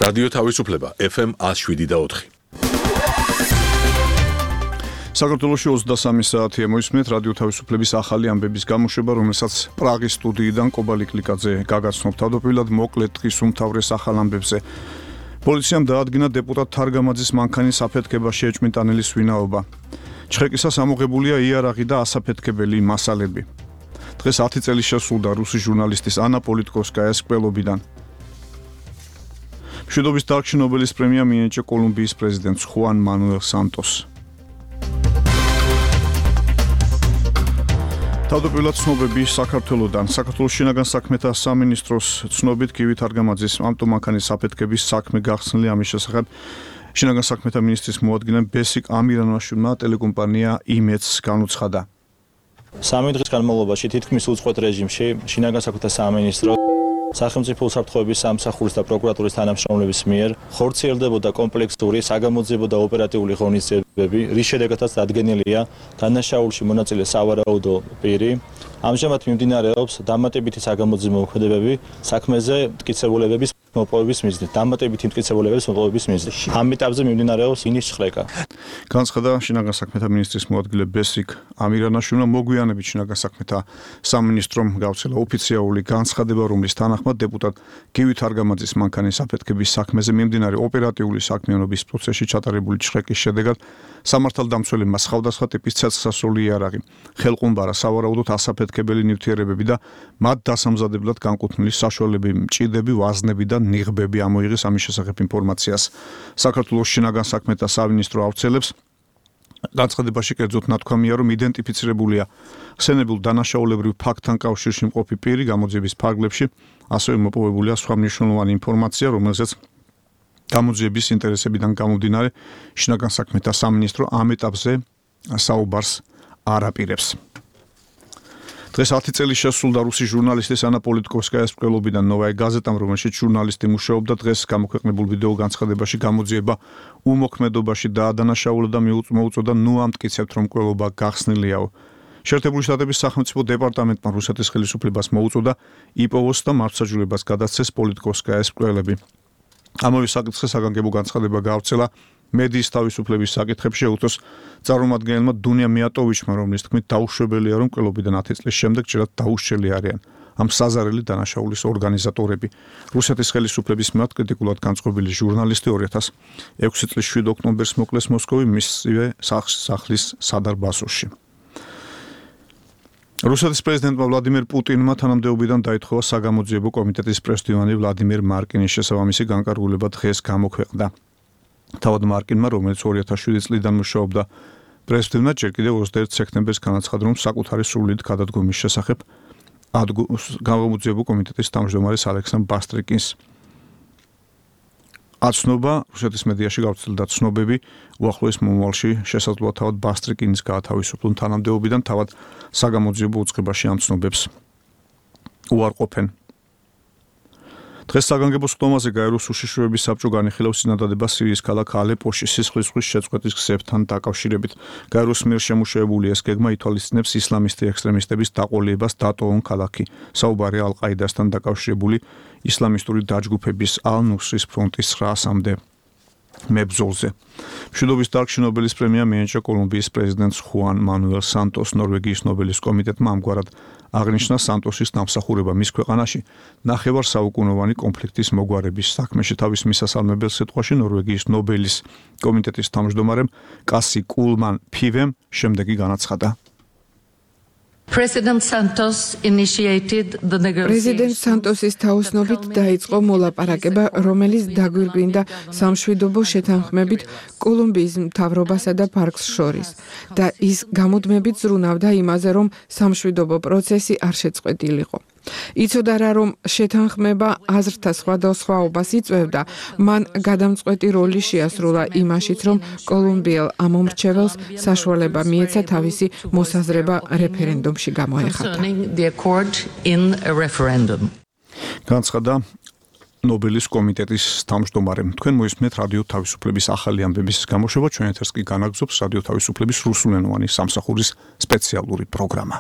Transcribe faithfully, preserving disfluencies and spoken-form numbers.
რადიო თავისუფლება ეფ ემ one oh seven და four. საქართველოში ოცდასამი საათია მოისმენთ რადიო თავისუფლების ახალი ამბების გამოშვება, რომელსაც პრაღის სტუდიიდან კობალი კლიკაძე გაგაცნობ. თავდაპირველად მოკლედ დღის უმთავრეს ახალ ამბებზე. პოლიციამ დაადგინა დეპუტატ თარგამაძის მანქანის აფეთქებაში ეჭვმიტანილის ვინაობა. ჩხეკისას ამოღებულია იარაღი და ასაფეთქებელი მასალები. დღეს ათი წელი შესრულდა რუსი ჟურნალისტის ანა პოლიტკოვსკაიას კვლელობიდან. მშვიდობის დარგში ნობელის პრემია მიენიჭა კოლუმბიის პრეზიდენტს ხუან მანუელ სანტოს. თავდაპირველად ცნობები საქართველოდან. საქართველოს შინაგან საქმეთა სამინისტროს ცნობით გივი თარგამაძის ავტომანქანის აფეთქების საქმე გახსნილი. ამის შესახებ შინაგან საქმეთა მინისტრის მოადგილემ ბესიკ ამირანაშვილმა ტელეკომპანია იმედს განუცხადა. სამი დღის განმავლობაში თითქმის უწყვეტ რეჟიმში შინაგან საქმეთა სამინისტრო სახელმწიფო უსაფრთხოების სამსახურის და პროკურატურის თანამშრომლების მიერ ხორციელდებოდა კომპლექსური საგამოძიებო და ოპერატიული ღონისძიებები, რის შედეგადაც დადგენილია დანაშაულში მონაწილე სავარაუდო პირი. ამჟამად მიმდინარეობს დამატებითი საგამოძიებო მოქმედებები საქმეზე მტკიცებულებების მოპოვების მიზნით. დამატებითი მტკიცებულებების მოპოვების მიზნით. ამ ეტაპზე მიმდინარეობს ინის ჩხრეკა. განცხადა შინაგან საქმეთა მინისტრის მოადგილე ბესიკ ამირანაშვილმა. მოგვიანებით შინაგან საქმეთა სამინისტრომ გავრცელა ოფიციალური განცხადება, რომლის თანახმად დეპუტატ გივი თარგამაძის მანქანის აფეთქების საქმეზე მიმდინარე ოპერატიული საქმიანობის პროცესში ჩატარებული ჩხრეკის შედეგად სამართალდამცველებმა სხვადასხვა ტიპის ცეცხლსასროლი იარაღი, ხელყუმბარა, სავარაუდოდ ასაფეთქებელი ნივთიერებები და მათ დასამზადებლად განკუთვნილი საშუალებები, მჭიდები, ვაზნები და ნიღბები ამოიღეს. ამის შესახებ ინფორმაციას საქართველოს შინაგან საქმეთა სამინისტრო ავრცელებს. განცხადებაში კერძოდ ნათქვამია, რომ იდენტიფიცირებულია ხსენებულ დანაშაულებრივ ფაქტთან კავშირში მყოფი პირი გამოძიების ფარგლებში, ასევე მოპოვებულია სხვა მნიშვნელოვანი ინფორმაცია, რომელზეც გამოძიების ინტერესებიდან გამომდინარე შინაგან საქმეთა სამინისტრო ამ ეტაპზე საუბარს არ აპირებს. დღეს ათი წელი შესრულდა რუსი ჟურნალისტის ანა პოლიტკოვსკაიას კვლელობიდან ნოვაი გაზეტამ, რომელშიც ჟურნალისტი მუშაობდა. დღეს გამოქვეყნებულ ვიდეო განცხადებაში გამოძიება უმოქმედობაში დაადანაშაულა და მოუწოდა ნუ ამტკიცებთ, რომ კვლელობა გახსნილიაო. შეერთებული შტატების სახელმწიფო დეპარტამენტმა რუსეთის ხელისუფლებას მოუწოდა იპოვოს და მართლმსაჯულებას გადასცეს პოლიტკოვსკაიას კვლელები. ამავე საკითხზე საგანგებო განცხადება გავრცელა მედიის თავისუფლების საკითხებში შეუწოს წარმომადგენელმა დუნია მიატოვიჩმა, რომლის თქმით დაუშვებელია, რომ კვლელობიდან ათი წლის შემდეგ ჯერად დაუშლილი არიან ამ საზარელი დანაშაულის ორგანიზატორები. რუსეთის ხელისუფლების მიმართ კრიტიკულად განწყობილი ჟურნალისტი ორი ათას ექვსი წლის შვიდ ოქტომბერს მოკლეს მოსკოვი მისივე სახლის სადარბაზოში. რუსეთის პრეზიდენტმა ვლადიმერ პუტინმა თანამდებობიდან დაითხოვა საგამოძიებო კომიტეტის პრესდივანი ვლადიმერ მარკინის შესაბამისი განკარგულება დღეს გამოქვეყნდა. თავად მარკინმა, რომელიც ორი ათას შვიდი წლიდან მუშაობდა პრესდივნად, ჯერ კიდევ ოცდაერთი სექტემბერს განაცხადა, რომ საკუთარი სრული გადადგომის შესახებ გამომძიებო კომიტეტის თავმჯდომარის ალექსანდრ ბასტრიკინს აცნობა. რუსეთის მედიაში გავრცელდა ცნობები, უახლოეს მომავალში შესაძლოა თავად ბასტრიკინის გაათავისუფლონ თანამდებობიდან. თავად საგამოძიებო უწყებაში ამ ცნობებს უარყოფენ. დღეს საგანგებო სხდომაზე გაეროს უშიშროების საბჭო განიხილავს წინადადებას სირიის ქალაქ ალეპოში სისხლისღვრის შეწყვეტის გზებთან დაკავშირებით. გაეროს მიერ შემუშავებული ეს გეგმა ითვალისწინებს ისლამისტი ექსტრემისტების დაყოლებას დატოვონ ქალაქი. საუბარია ალ-ყაიდასთან დაკავშირებული ისლამისტური დაჯგუფების ალ-ნუსრის ფრონტის ცხრაასამდე მებრძოლზე. მშვიდობის დარგში ნობელის პრემია მიენიჭა კოლუმბიის პრეზიდენტს ხუან მანუელ სანტოს. ნორვეგიის ნობელის კომიტეტმა ამგვარად აღნიშნა სანტოსის დამსახურება მის ქვეყანაში ნახევარ საუკუნოვანი კონფლიქტის მოგვარების საქმეში. თავის მისასალმებელ სიტყვაში ნორვეგიის ნობელის კომიტეტის თავმჯდომარემ კასი კულმან ფივემ შემდეგი განაცხადა. President Santos initiated the negotiations. პრეზიდენტ სანტოსის თაოსნობით დაიწყო მოლაპარაკება, რომელიც დაგვირგვინდა სამშვიდობო შეთანხმებით კოლუმბიის მთავრობასა და ფარკს შორის და ის გამუდმებით ზრუნავდა იმაზე, რომ სამშვიდობო პროცესი არ შეწყვეტილიყო. იცოდა რა, რომ შეთანხმება აზრთა სხვადასხვაობას იწვევდა, მან გადამწყვეტი როლი შეასრულა იმაშიც, რომ კოლუმბიელ ამომრჩეველს საშუალება მიეცა თავისი მოსაზრება რეფერენდუმში გამოეხატა. განცხადა ნობელის კომიტეტის თავმჯდომარემ. თქვენ მოისმენთ რადიო თავისუფლების ახალი ამბების გამოშვება. ჩვენ ეთერს კი განაგრძობს რადიო თავისუფლების რუსულენოვანი სამსახურის სპეციალური პროგრამა.